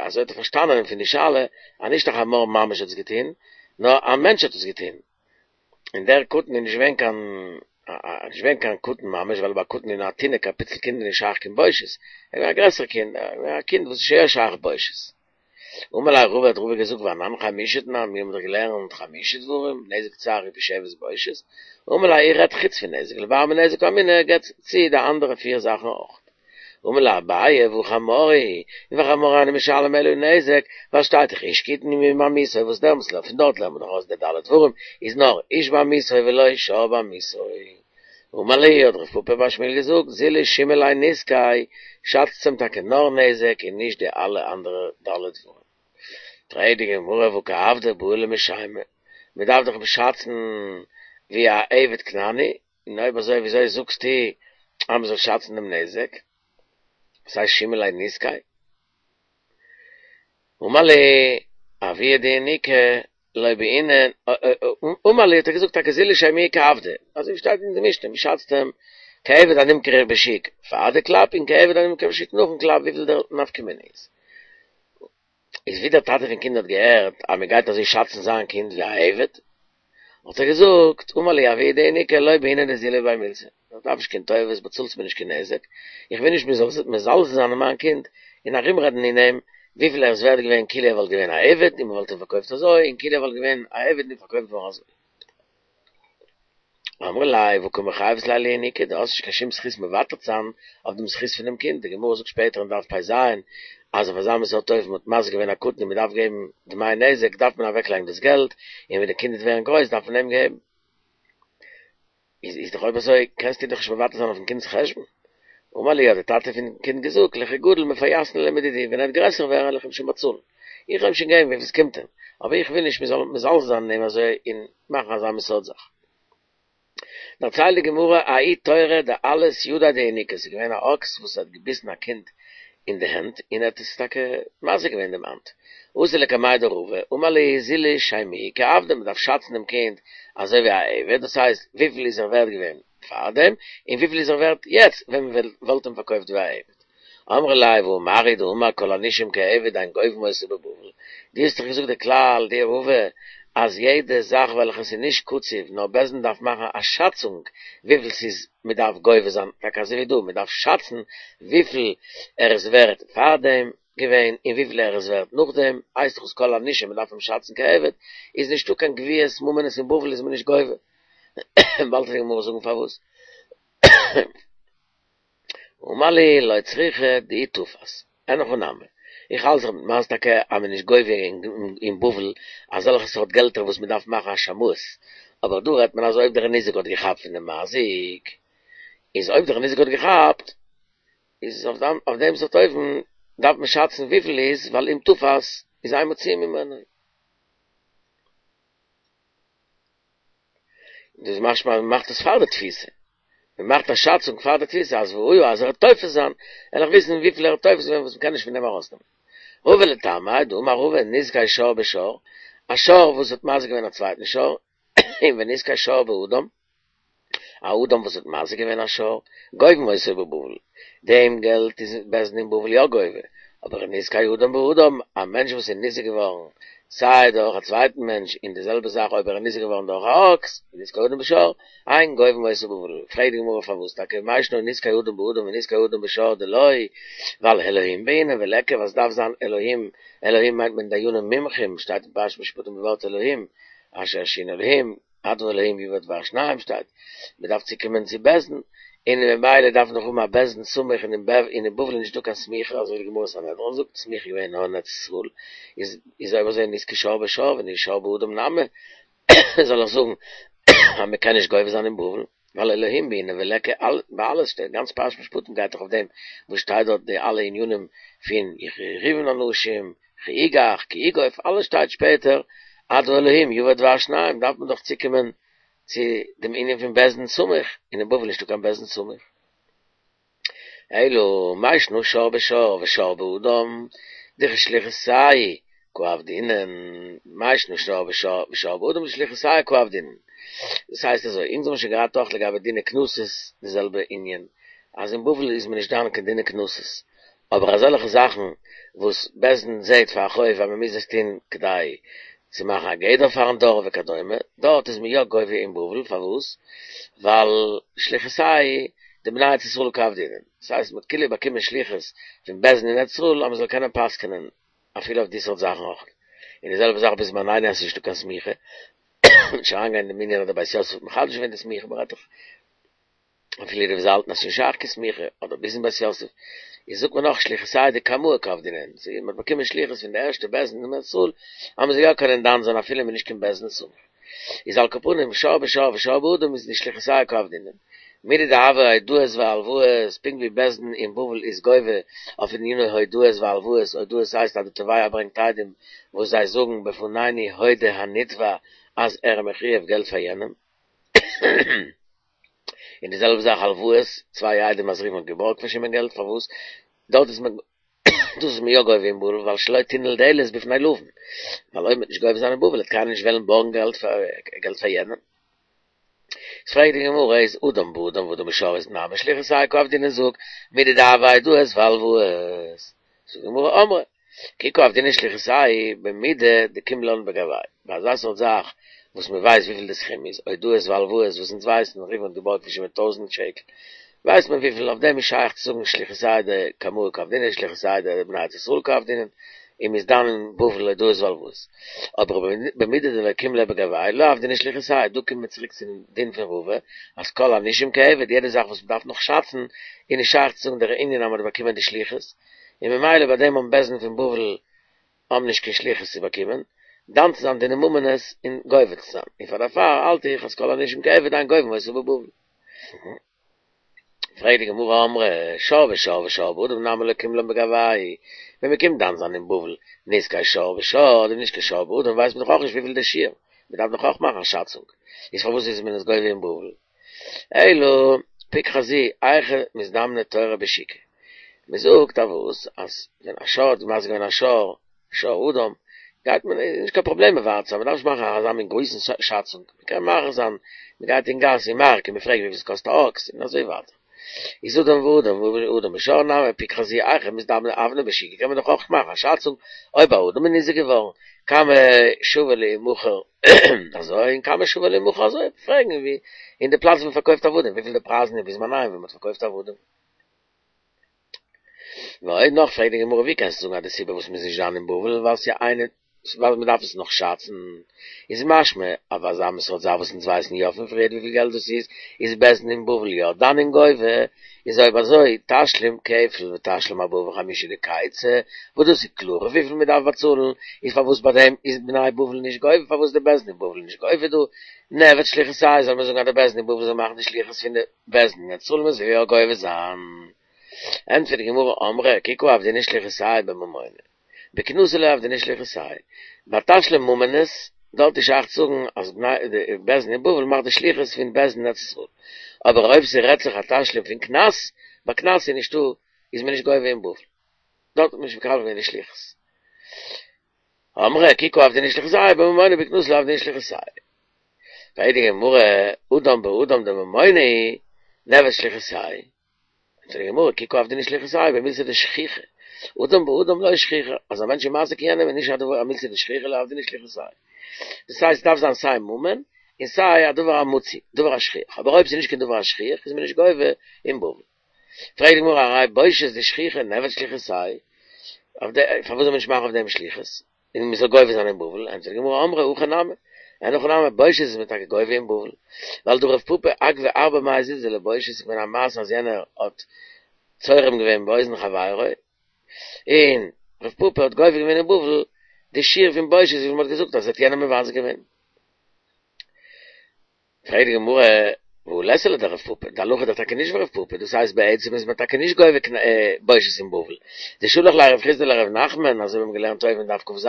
אזוי האט ער פארשטאנען פון די שאלה, אז נישט א חמור ממש האט עס געטון, נאר א מענטש האט עס געטון, און דער קטן איז נישט געווען קיין נישט געווען קיין קטן ממש, ווייל ביי א קטן איז א תינוק א פיצל קינד איז נישט שייך קיין בושת, ער איז געווען א גרעסער קינד, א קינד וואס איז שוין יא שייך בושת. אמר ליה רבא האט רבא געזאגט ואנן חמשה תנן, מיר האבן דאך געלערנט חמשה דברים, נזק צער ריפוי שבת בושת, אמר ליה איך רעד חוץ פון נזק, לבר מנזק קאמינא געבט צו די אנדערע פיר זאכן אויך. אמר ליה אביי והא חמור הוא, און וחמור אינו משלם אלא נזק, ווייל שטייט דאך איש קטן בעמיתו וואס דעמאלטס פון דארט לערנט מען דאך אויס די ד' דברים איז נאר איש בעמיתו ולא שור בעמיתו. אמר להו האט רב פפא בר שמואל געזאגט זילו שימו ליה נזקיה, שאצטס אים טאקע נאר נזק און נישט די אלע אנדערע ד' דברים. פרעגט די גמרא והא כעבדא בעי למשיימיה, מען דארף דאך אים שאצן ווי א עבד כנעני, און אויב אזוי וויאזוי זאגסטו אז מען זאל שאצן דעם נזק? וואס הייסט שימו ליה נזקיה? אמר להו אבוה דינוקא לא בעינן, אמר להו האט ער געזאגט טאקע זילו שיימוהו כעבדא, אזוי ווי שטייט אין די משנה, מען שאצט אים כעבד הנמכר בשוק פאר די קלאפ און כעבד הנמכר בשוק נאכן קלאפ וויפיל דער נפקא מינה איז. איז ווי דער טאטע פון קינד האט געהערט אז מען גייט אזוי שאצן זיין קינד ווי א עבד, האט ער געזאגט, אמר להו אבוה דינוקא לא בעינא דזילי בי מילתא, איך דארף נישט קיין טובות, באצאלטס מיר נישט קיין נזק, איך וויל נישט מען זאל מזלזל זיין אין מיין קינד און ארומרעדן אין אים וויפיל ער איז ווערד געווען כאילו ער וואלט געווען א עבד און מען וואלט אים פארקויפט אזוי און כאילו ער וואלט געווען א עבד און פארקויפט געווארן אזוי. אמרי ליה והא קא מחייבת ליה לינוקא, דו האסט נישט קיין שום זכות מוותר צו זיין אויף דעם זכות פונעם קינד, די גמרא זאגט שפעטער אין דף פ"ז אז אויף אזא מין סארט אופן מ'האט מזיק געווען א קטן און מ'דארף געבן דמי נזק דארף מען אוועקלייגן דאס געלט, און ווען די קינד וועט ווערן גרויס דארף מען אים געבן. איז איז דאך אויב אזוי קענסטו דאך נישט מוותר זיין אויפן קינד'ס חשבון. אמר להו האט די טאטע פון קינד געזאגט לכי גדיל מפייסנא ליה מדידי ווען ער וועט גרעסער ווערן וועל איך אים שוין באצאלן, איך וועל אים שוין געבן וויפיל ס'קומט אים, אבער איך וויל נישט מ'זאל מזלזל זיין אין אים אזוי און מאכן אזא מין סארט זאך. דערציילט די גמרא ההוא תורא דאלס ידיה דינוקא, ס'איז געווען א אקס וואס האט געביסן א קינד אין די הענט און ער האט עס טאקע מזיק געווען דעם האנט, אתא לקמיה דרבא, אמר להו זילו שיימוהו כעבדא, מ'דארף שאצן דעם קינד אזוי ווי א עבד, דאס הייסט וויפיל איז ער ווערט געווען פארדעם און וויפיל איז ער ווערט יעצט ווען מ'וואלט אים פארקויפט ווי א עבד. אמרי ליה והא מר הוא דאמר כל הנישום כעבד אין גובין אותו בבבל, דו האסט דאך געזאגט די כלל דו רבא אז יעדע זאך וועלכע ס'איז נישט קצוב נאר בית דין דארף מאכן א שאצונג וויפיל ס'איז מ'דארף גובה זיין, טאקע אזוי ווי דא מ'דארף שאצן וויפיל ער איז ווערט פארדעם געווען און וויפיל ער איז ווערט נאכדעם, הייסט דאך עס כל הנישום מ'דארף אים שאצן כעבד, איז נישטא קיין גביית ממונות אין בבל איז מען נישט גובה, באלד וועט די גמרא זאגן פארוואס. אמר לי לא צריכא דאי תפס, אין הכי נמי, איך האלט זיך מיט מאז טאקע אז מען איז נישט גובה אין בבל אזעלכע סארט געלטער וואס מען דארף מאכן א שמאות, אבער דא רעדט מען אז אויב דער ניזק האט געכאפט פון דעם מזיק, איז אויב דער ניזק האט געכאפט, איז אויף דעם סארט אופן דארף מען שאצן וויפיל איז, ווייל אם תפס איז אין מוציאין ממנו. דאס איז משמע אז מ'מאכט עס פאר די תפיסה, מ'מאכט א שאצונג פאר די תפיסה אז והיה אז ער וועט תופס זיין, וועל איך וויסן וויפיל ער האט תופס געווען וואס מ'קען נישט פון דעם ארויסנעמען. רבא לטעמיה, דאמר רבא נזקי שור בשור, א שור וואס האט מזיק געווען א צווייטן שור, און ונזקי שור באדם, א אדם וואס האט מזיק געווען א שור, גובין אותו בבבל, דעם געלט איז בית דין אין בבל יא גובה, אבער נזקי אדם באדם, א מענטש וואס איז ניזוק געווארן סיי דורך א צווייטן מענטש און די זעלבע זאך אויב ער איז ניזוק געווארן דורך א אקס, נזקי אדם בשור, אין גובין אותו בבבל, פרעגט די גמרא פארוואס טאקע מאי שנא נזקי אדם באדם ונזקי אדם בשור דלא, ווייל אלהים בעינן וליכא וואס דארף זיין אלהים, אלהים מיינט מען דיינים מומחים, שטייט אין פרשת משפטים די ווארט אלהים, אשר ירשיעון אלהים, עד האלהים יבא דבר שניים שטייט, מען דארף צוקומען צו בית דין, און ממילא דארף מען דאך האבן א בית דין סמוך און אין בבל איז נישטא קיין סמיכה אזוי ווי די גמרא סנהדרין זאגט סמיכה איז געווען נאר אין ארץ ישראל, איז איז אויב אזוי נזקי שור בשור ונזקי שור באדם נמי, זאל איך זאגן אז מען קען נישט גובה זיין אין בבל, ווייל אלהים בעינן וליכא ביי אלעס שטייט גאנץ פרשת משפטים גייט דאך אויף דעם וואס שטייט דארט די אלע ענינים פון יריבון אנשים כי יגח כי יגוף אלעס שטייט שפעטער עד האלהים יבא דבר שניים דארף מען דאך צוקומען צו דעם ענין פון בית דין סמוך, און אין בבל נישטא קיין בית דין סמוך. אלא מאי שנא שור בשור ושור באדם, דכשליחותייהו קא עבדינן, מאי שנא שור בשור ושור באדם דשליחותייהו קא עבדינן. דאס הייסט אזוי, אונז האבן שוין געהאט אויך לגבי דיני קנסות די זעלבע ענין, אז אין בבל איז מען נישט דן קיין דיני קנסות, אבער אזעלכע זאכן וואס בית דין זעהט פאר א חוב אז מען מוז עס טוהן כדי צו מאכן א גדר פארן דור וכדומה, דארט איז מען יא גובה אין בבל, פארוואס? ווייל שליחותייהו דבני ארץ ישראל קא עבדינן, דאס הייסט מען האט כאילו באקומען שליחות פון בית דין אין ארץ ישראל אז מען זאל קענען פסק'נען אפילו אויף די סארט זאכן אויך, און די זעלבע זאך בזמנינו אז ס'איז נישטא קיין סמיכה, נישט אריינגיין אין דעם ענין אז דער בית יוסף האט מחדש געווען די סמיכה, מ'רעדט דאך אפילו די וואס האלטן אז ס'איז נישט שייך קיין סמיכה, אדער ביזן בית יוסף, איז זאגט מען נאך שליחותייהו דקמאי קא עבדינן, ס'איז מ'האט באקומען שליחות פון די ערשטע בית דין אין ארץ ישראל, אז מ'זאל יא קענען דן זיין אפילו מ'איז נישט קיין בית דין סמוך. איז על כל פנים שור בשור ושור באדם איז דשליחותייהו קא עבדינן. מידי דהוה הודאות והלוואות, פונקט ווי בית דין אין בבל איז גובה אויף עניני הודאות והלוואות, הודאות הייסט אז די תובע ברענגט עדים וואס זיי זאגן בפנינו הודה הנתבע אז ער איז מחויב געלט פאר יענעם. און די זעלבע זאך הלוואות, צוויי עדים אז ראובן האט געבארגט פון שמעון געלט, פארוואס דארט איז מען דאס איז מען יא גובה אין בבל, ווייל שלא תנעול דלת בפני לווין, ווייל אויב מ'וועט נישט גובה זיין אין בבל וועט קיינער נישט וועלן בארגן געלט פאר געלט פאר יענעם. איז פרעגט די גמרא איז אדם באדם ואדם בשור איז נמי שליחותייהו קא עבדינן זאג מידי דהוה הודאות והלוואות, זאגט די גמרא אמרי כי קא עבדינן שליחותייהו במידי דקים לן בגוייהו, ביי אזא סארט זאך וואס מען ווייסט וויפיל די סכום איז, הודאות והלוואות וואס אונז ווייסן, ראובן האט געבארגט פון שמעון טויזנט שקל, ווייסט מען וויפיל, אויף דעם איז שייך צו זאגן שליחותייהו דקמאי קא עבדינן, שליחותייהו דבני ארץ ישראל קא עבדינן, און מ'איז דן אין בבל הודאות והלוואות. אבער במידי דלא קים ליה בגוייהו לא עבדינן שליחותייהו, דא קומט מען צוריק צום דין פון רבא, אז כל הנישום כעבד, יעדע זאך וואס מ'דארף נאך שאצן, איז נישט שייך צו זאגן דער ענין אז מ'האט באקומען די שליחות, און ממילא ביי דעם האבן בית דין פון בבל האבן נישט קיין שליחות צו באקומען, דן צו זיין דיני ממונות און גובה צו זיין, און פאר דערפאר האלט איך אז כל הנישום כעבד אין גובין אותו בבבל. פרעגט די גמרא אמרי שור בשור ושור באדם נמי לא קים לן בגוייהו, ווען מען קומט דן זיין אין בבל נזקי שור בשור אדער נזקי שור באדם ווייסט מען דאך אויך נישט וויפיל די שיעור, מען דארף דאך אויך מאכן א שאצונג, איז פארוואס איז מען עס גובה אין בבל? אלא פוק חזי היכא מזדמנה תורא בשוקא, מען זאגט אז וואס אז ווען א שור האט מזיק געווען א שור, שור אדם, גייט מען, איז נישט קיין פראבלעם מען ווארט מען דארף נישט מאכן אזא מין גרויסן שאצונג, מען קען מאריך זיין, מען גייט אין גאס אין מארק און מען פרעגט וויפיל עס קאסט א אקס און אזוי ווייטער. איז אדם באדם ואדם בשור נמי פוק חזי היכא מזדמני אבני בשוקא קען מען דאך אויך מאכן א שאצונג אויב א אדם איז ניזוק געווארן כמה שווה לימכר אזוי און כמה שווה לימכר אזוי, פרעגן ווי אין די פלאץ ווי מען פארקויפט עבדים וויפיל די פרייזן איז בזמניהם ווען מען האט פארקויפט עבדים. ועוד נאך פרעגט די גמרא ווי קענסטו זאגן אז די סיבה וואס מ'איז נישט דן אין בבל ווייל ס'איז אינו ווייל מען דארף עס נאך שאצן, איז משמע אויף אזא מין סארט זאך וואס אונז ווייסן יא פון פריערט וויפיל געלט דאס איז, איז בית דין אין בבל יא דן און גובה, איז אויב אזוי תשלום כפל ותשלום ארבעה וחמישה דקייצא, וואס דאס איז קלאר וויפיל מען דארף באצאלן, איז פארוואס ביי דעם איז בני בבל נישט גובה, פארוואס די בית דין אין בבל נישט גובה דא, נעבד שליחותייהו זאל מען זאגן אז די בית דין אין בבל זאל מאכן די שליחות פון די בית דין אין ארץ ישראל מען זאל יא גובה זיין. ענטפערט די גמרא אמרי כי קא עבדינן שליחותייהו בממונא, בקנסא לא עבדינן שליחותייהו, ביי תשלום ממונות, דארט איז שייך צו זאגן אז די בית דין אין בבל מאכט די שליחות פון בית דין אין ארץ ישראל, אבער אויב ס'רעדט זיך א תשלום פון קנס, ביי קנס איז נישטא, איז מען נישט גובה אין בבל, דארט האט מען נישט מקבל געווען די שליחות. אמרי כי קא עבדינן שליחותייהו בממונא בקנסא לא עבדינן שליחותייהו. פרעגט די גמרא, אדם באדם דממונא הוא, נעבד שליחותייהו. זאגט די גמרא, כי קא עבדינן שליחותייהו במילתא דשכיחא, אדם באדם לא שכיחא, אז א מענטש איז מזיק יענעם איז נישט א דבר א מילתא דשכיחא לא עבדינן שליחותייהו. דאס הייסט עס דארף זיין סיי ממון און סיי א דבר המצוי, דבר השכיח, אבער אויב ס'איז נישט קיין דבר השכיח איז מען נישט גובה אין בבל. פרעגט די גמרא, הרי בושת דשכיחא נעבד שליחותייהו, אויף די, פארוואס זאל מען נישט מאכן אויף דעם שליחות, און מען זאל גובה זיין אין בבל, ענטפערט די גמרא, אמרי הכי נמי, אין הכי נמי, בושת איז מען טאקע גובה אין בבל, ווייל דהא רב פפא אגבי ארבע מאה זוזי לבושת איז געווען א מעשה אז יענער האט צורם געווען באוזן חברו, און רב פפא האט גובה געווען אין בבל די שיעור פון בושת וויפיל מען האט געזאגט אז ער האט יענעם מבזה געווען. פרעגט די גמרא, והא לית לה לדרב פפא, די הלכה איז דאך טאקע נישט ווי רב פפא, דאס הייסט בעצם איז מען טאקע נישט גובה בושת אין בבל, דשלח ליה רב חסדא לרב נחמן, אזוי ווי מיר האבן געלערנט אויבן אין דף כ"ז,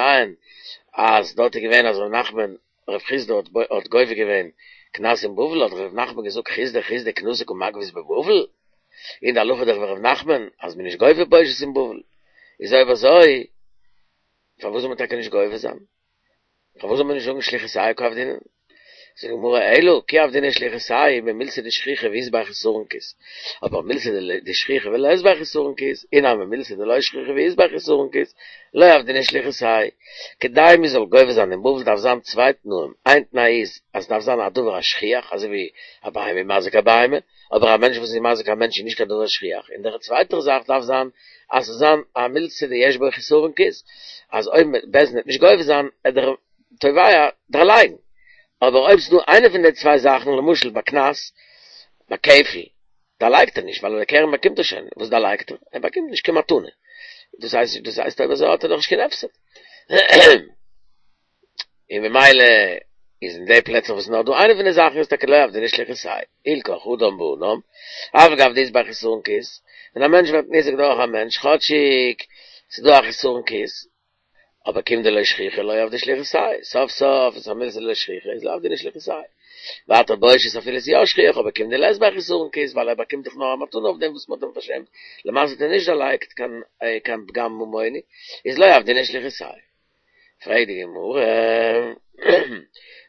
אז דארט איז געווען אז רב נחמן, רב חסדא האט גובה געווען קנס אין בבל, האט רב נחמן געזאגט חסדא חסדא קנסא קא מגבית בבבל, און די הלכה איז דאך ווי רב נחמן אז מען איז נישט גובה בושת אין בבל, איז אויב אזוי פארוואס זאל מען טאקע נישט גובה זיין? פארוואס זאל מען נישט זאגן שליחותייהו קא עבדינן? זאגט די גמרא אלא כי עבדינן שליחותייהו במילתא דשכיחא ואית ביה חסרון כיס, אבער מילתא דשכיחא ולית ביה חסרון כיס, אי נמי מילתא דלא שכיחא ואית ביה חסרון כיס, לא עבדינן שליחותייהו. כדי מען זאל גובה זיין אין בבל דארף זיין צוויי תנאים, איין תנאי איז אז ס'דארף זיין א דבר השכיח אזוי ווי א בהמה איז מזיק א בהמה, אבער א מענטש וואס איז מזיק א מענטש איז נישט קיין דבר שכיח, און דער צווייטער זאך דארף זיין אז ס'זאל זיין א מילתא דיש בו חסרון כיס, אז אויב בית דין וועט נישט גובה זיין עט דער תובע דערלייגן, אבער אויב ס'דא איינע פון די צוויי זאכן, למשל ביי קנס, ביי כפל, דערלייגט ער נישט, ווייל די קרן באקומט ער שוין, וואס דערלייגט ער? ער באקומט נישט קיין מתנה, דאס הייסט דאס הייסט אויב אזוי האט ער דאך נישט קיין הפסד. און ממילא איז אין די פלעצער וואס נאר דא איינע פון די זאכן איז טאקע לא עבדינן שליחותייהו, הילכך אדם באדם, אף על גב דאית ביה חסרון כיס, ווען א מענטש ווערט ניזוק דורך א מענטש, כאטשיג ס'איז דא א חסרון כיס, אבער כיון דלא שכיחא לא עבדי שליחותייהו, סוף סוף איז א מילתא דלא שכיחא איז לא עבדינן שליחותייהו. ווייטער בושת אפילו איז יא שכיח אבער כיון דלית ביה חסרון כיס ווייל ער באקומט דאך נאר א מתנה אויף דעם וואס מ'האט אים פארשעמט, למעשה האט ער נישט דערלייגט קיין קיין פגם ממוני, איז לא עבדינן שליחותייהו. פרעגט די גמרא,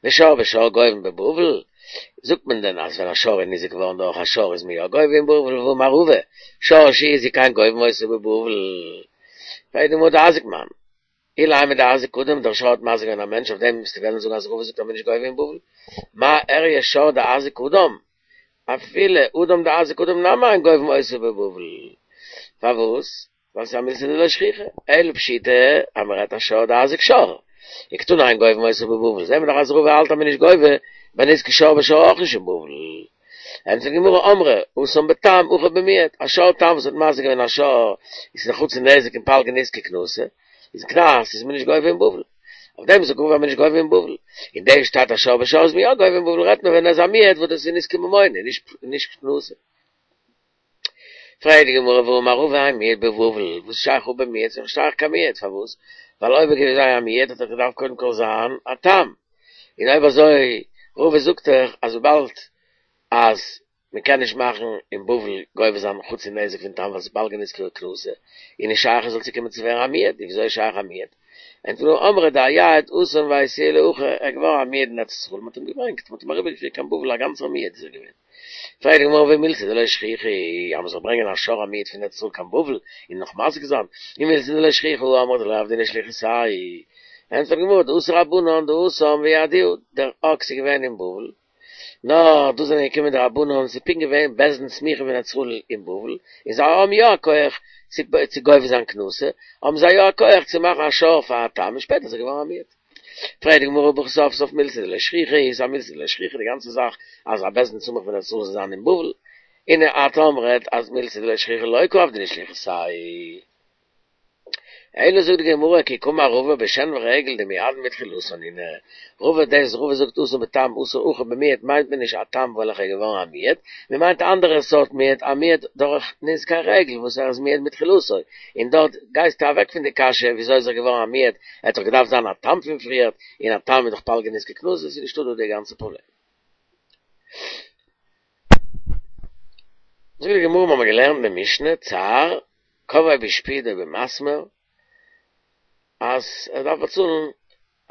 ושור בשור גובין בבבל, זאגט מען דען אז ווען א שור איז ניזוק געווארן דורך א שור איז מען יא גובה אין בבל, והאמר רבא, שור שהזיק אין גובין אותו בבבל, פרעגט די גמרא דאזיק מאן, אילימא דאזיק אדם, דער שור האט מזיק געווען א מענטש, אויף דעם וועסטו וועלן זאגן אז רבא זאגט אז מען איז נישט גובה אין בבל, מאי איריא שור דאזיק אדם, אפילו אדם דאזיק אדם נמי אין גובין אותו בבבל, פארוואס? ווייל ס'איז א מילתא דלא שכיחא, אלא פשיטא אז מ'רעדט א שור דאזיק שור, וקתני אין גובין אותו בבבל, זעהן מיר דאך אז רבא האלט אז מ'איז נישט גובה ביי נזקי שור בשור אויך נישט אין בבל. ענטפערט די גמרא אמרי התם בתם הכא במועד, א שור תם וואס האט מזיק געווען א שור איז א חצי נזק און פלגא נזקא קנסא, איז קנס איז מען נישט גובה אין בבל. אויף דעם זאגט רבא אז מ'איז נישט גובה אין בבל. און דא שטייט א שור בשור איז מען יא גובה אין בבל רעדט מען ווען ער איז א מועד וואס דאס איז נזקי ממונא נישט קנסא. פרעגט די גמרא והאמר רבא אין מועד בבבל, וואס איז שייך רבא מועד, ס'איז נישט שייך קיין מועד, פארוואס? ווייל אויב ער געווען זיין א מועד האט ער געדארפט קודם כל זיין א תם, און אויב אזוי רבא זאגט דאך אז וויבאלד אז מען קען נישט מאכן אין בבל גובה זיין חצי נזק פון תם ווייל ס'איז פלגא נזקא קנסא, איז נישט שייך עס זאל צוקומען צו ווערן א מועד, און וויאזוי איז שייך א מועד? ענטפערט די גמרא אמרי דאייעד התם ואייתוה להכא, ער איז געווארן א מועד אין ארץ ישראל, מען האט אים געברענגט, מען האט אים אריבערגעפירט קיין בבל א גאנצער מועד איז ער געווען. פרעגט די גמרא והא מילתא דלא שכיחא היא, אז מ'זאל ברענגען א שור א מועד פון ארץ ישראל קיין בבל און נאך מזיק זיין, און מילתא דלא שכיחא הא אמרת דלא עבדינן שליחותייהו. ענטפערט די גמרא דאתו רבנן דהתם ואייעדוה, דער אקס איז געווען אין בבל, נאר דא זענען געקומען די רבנן און ס'איז פונקט געווען בית דין סמוכים פון ארץ ישראל אין בבל, און זיי האבן יא א כח צו גובה זיין קנסא, האבן זיי יא א כח צו מאכן א שור פאר א תם און שפעטער איז ער געווארן א מועד. פרעגט די גמרא והא סוף סוף מילתא דלא שכיחא היא, ס'איז א מילתא דלא שכיחא די גאנצע זאך אז א בית דין סמוך פון ארץ ישראל זאל זיין אין בבל, און את אמרת אז מילתא דלא שכיחא לא קא עבדינהו שליחותייהו. אלא זאגט די גמרא כי קאמר רבא בשן ורגל דמועדין מתחילתן נינהו, רבא דאס רבא זאגט אסור בתם אסור אחור במועד מיינט מען נישט א תם וועלכע איז געווארן א מועד, מען מיינט א אנדערע סארט מועד א מועד דורך נזקי רגל וואס ער איז מועד מתחילתו, און דארט גייסטו אוועק פון די קשיא וויאזוי איז ער געווארן א מועד, ער האט דאך געדארפט זיין א תם פון פריערט, און א תם איז דאך פלגא נזקא קנסא, ס'איז נישטא דא די גאנצע פראבלעם. זאגט די גמרא מ'האמער געלערנט אין די משנה צער קבעו בשפוד או במסמר אז ער דארף באצאלן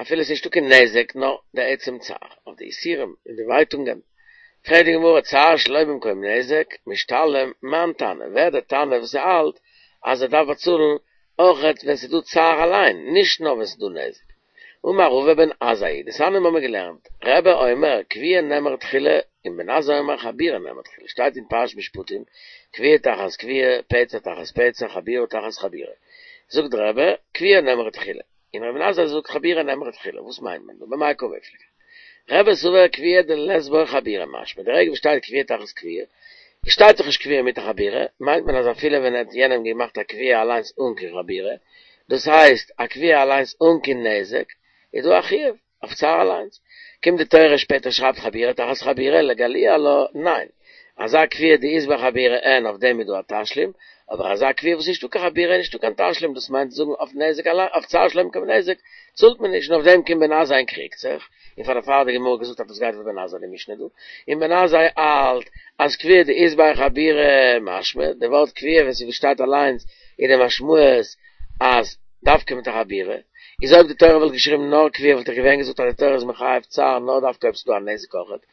אפילו עס איז נישטא קיין נזק נאר די עצם צער אויף די יסורים און די ווייטונגען, פרעגט די גמרא צער שלא במקום נזק משתלם מאן תנא, ווער דער תנא וואס האלט אז ער דארף באצאלן אויכעט ווען ס'איז דא צער אליין נישט נאר ווען ס'איז דא נזק, אמר רבא בן עזאי, דתניא האבן מיר געלערנט, רבי אומר כויה נאמרה תחילה און בן עזאי אומר חבורה נאמרה תחילה, שטייט אין פרשת משפטים, כויה תחת כויה, פצע תחת פצע, חבורה תחת חבורה. זאגט רבי, כויה נאמרה תחילה. און בן עזאי זאגט חבורה נאמרה תחילה, וואס מיינט מען דא? במאי קמיפלגי? רבי סבר כויה דלית בה חבורה משמע, די רגע וואס שטייט כויה תחת כויה, שטייט דאך נישט כויה מיט א חבורה, מיינט מען אז אפילו ווען ער האט יענעם געמאכט א כויה אליינס אן קיין חבורה, דאס הייסט א כויה אליינס אן קיין נזק, איז דא א חיוב אויף צער אליינס. קומט די תורה שפעטער שרייבט חבורה תחת חבורה לגלויי עלה, ניין, אזא כויה דאית בה חבורה אין אויף דעם איז דא א תשלום, אבער אזא כויה וואס נישטא קיין חבורה איז נישטא קיין תשלום, דאס מיינט זאגן אויף נזק אליין, אויף צער שלא במקום נזק צאלט מען נישט, און אויף דעם קומט בן עזאי און קריגט זיך, און פאר דערפאר האט די גמרא געזאגט אז דאס גייט ווי בן עזאי די משנה דא, און בן עזאי האלט אז כויה דאית בה חבורה משמע, די ווארט כויה ווען ס'שטייט אליינס איז די משמעות אז דווקא מיט א חבורה, איז אויב די תורה וואלט געשריבן נאר כויה וואלט איך געווען געזאגט אז די תורה איז מחייב צער נאר דווקא אויב ס'איז דא א נזק אויכעט,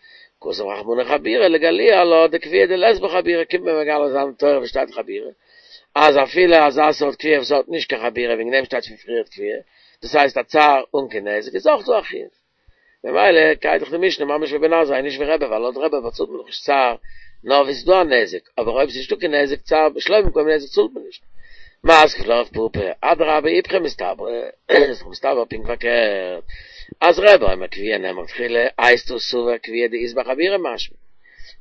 כתב רחמנא חבורה לגלויי עלה דכויה דלית בה חבורה קומט מען מגלה זיין די תורה וואס שטייט חבורה אז אפילו אזא סארט כויה וואס האט נישט קיין חבורה וועגן דעם שטייט פון פריערט כויה דאס הייסט א צער אן קיין נזק איז אויך דא א חיוב ממילא גייט דאך די משנה ממש ווי בן עזאי נישט ווי רבי ווייל לויט רבי באצאלט מען דאך נישט צער נאר ווי ס'איז דא א נזק אבער אויב ס'איז נישטא קיין נזק צער שלא במקום נזק צאלט מען נישט. מתקיף לה רב פפא, אדרבה איפכא מסתברא, איז דאך מסתבר פונקט פארקערט, אז רבי אומר כויה נאמרה תחילה, הייסט עס סבר כויה דאית בה חבורה משמע.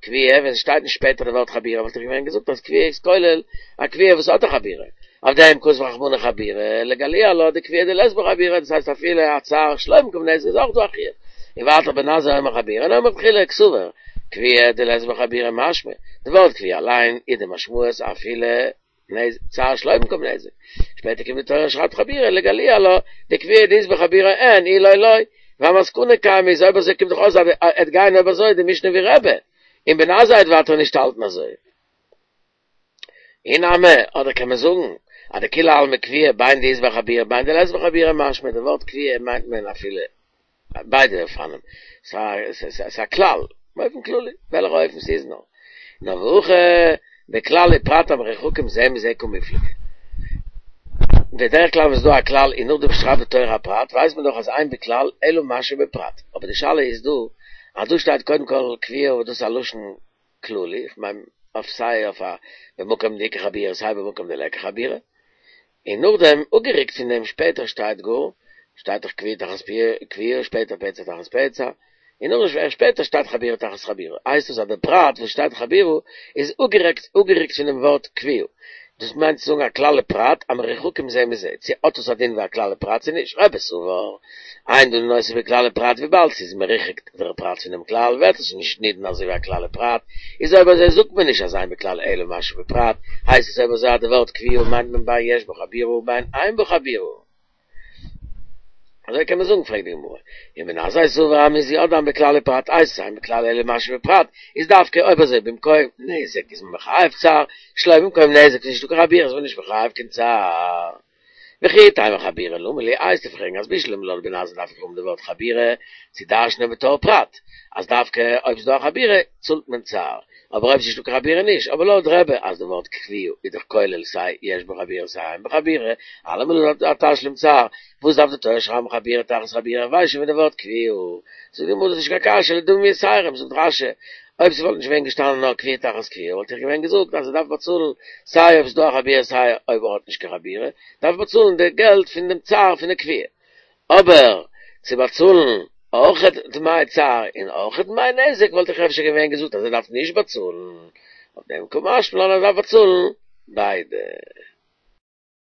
כויה, ווען ס'שטייט נישט שפעטער די ווארט חבורה וואלט איך געווען געזאגט אז כויה איז כולל א כויה וואס האט א חבורה. אויף דעם כתב רחמנא חבורה, לגלויי עלה דכויה דלית בה חבורה, דאס הייסט אפילו א צער שלא במקום נזק איז אויך דא א חיוב. און ווייטער בן עזאי אומר חבורה נאמרה תחילה קסבר, כויה דלית בה חבורה משמע, די ווארט כויה אליין איז די משמעות אפילו נזק, צער שלא במקום נזק. שפעטער קומט די תורה און שרייבט חבורה לגלויי עלה, דכויה דאית בה חבורה אין, אי לא לא. ואמסקנא קיימא איז אויב אזוי קומט דאך אויס אז עט גיין אויב אזוי די משנה ווי רבי, און בן עזאי וועט ווייטער נישט האלטן אזוי. אי נמי, אדער קען מען זאגן אז דכולי עלמא כויה בין דאית בה חבורה בין דלית בה חבורה משמע די ווארט כויה מיינט מען אפילו ביידע אופנים, ס'איז א כלל, באופן כללי, וועלכע אופן ס'איז נאר. נאר והכא בכלל ופרט המרוחקים זה מזה קמיפלגי. בדרך כלל ווען ס'איז דא א כלל און נאכדעם שרייבט די תורה א פרט, ווייסט מען דאך אז אין בכלל אלא מה שבפרט. אבער די שאלה איז דא, אז דא שטייט קודם כל כויה וואס דאס איז א לשון כללי, איך מיין אויף סיי אויף א במקום דאיכא חבורה סיי במקום דליכא חבורה, און נאכדעם אפגערוקט פון דעם שפעטער שטייט גאר, שטייט דאך כויה תחת כויה, שפעטער פצע תחת פצע, און נאך שפעטער שטייט חבורה תחת חבורה, הייסט עס אז די פרט וואס שטייט חבורה איז אפגערוקט אפגערוקט פונעם ווארט כויה, דאס מיינט צו זאגן א כלל ופרט המרוחקים זה מזה, צו האט עס א דין ווי א כלל ופרט צו נישט, רבי סבר, אין דנין אותו בכלל ופרט וויבאלד ס'איז מרוחק דער פרט פונעם כלל ווערט עס נישט נידון אזוי ווי א כלל ופרט, איז אויב אזוי זאגט מען נישט אז אין בכלל אלא מה שבפרט, הייסט עס אויב אזוי אז די ווארט כויה מיינט מען בין יש בה חבורה ובין אין בה חבורה. אזוי קען מען זאגן פרעגט די גמרא, ובן עזאי סבר אז מ'איז יא דן בכלל ופרט הייסט עס אין בכלל אלא מה שבפרט, איז דווקא אויב אזוי במקום נזק איז מען מחייב צער, שלא במקום נזק איז נישטא קיין חבורה איז מען נישט מחייב קיין צער. וכי תימא חבורה למה לי וועסטו פרעגן אז בשלמא לויט בן עזאי דארף איך האבן די ווארט חבורה צו דרש'נען בתור פרט אז דווקא אויב ס'דא א חבורה צאלט מען צער, אבער אויב ס'איז נישטא קיין חבורה נישט, אבער לויט רבי אז די ווארט כוויה איז דאך כולל סיי יש בה חבורה סיי אין בה חבורה, אלעמאל איז א תשלום צער, וואס דארף די תורה שרייבן חבורה תחת חבורה, איך ווייס שוין פון די ווארט כוויה. זאגט די גמרא דאס איז נישט קיין קשיא, לדמים יתרים, זאגט רש"י, אויב ס'וואלט נישט געווען געשטאנען נאר כוויה תחת כוויה וואלט איך געווען געזאגט אז ער דארף באצאלן סיי אויב ס'איז דא א חבורה סיי אויב ער האט נישט קיין חבורה, דארף ער באצאלן די געלט פון דעם צער פון די כוויה. אבער צו באצאלן אויכעט דמי צער און אויכעט דמי נזק וואלט איך אפשר געווען געזאגט אז ער דארף נישט באצאלן, אויף דעם קא משמע לן אז ער דארף באצאלן ביידע.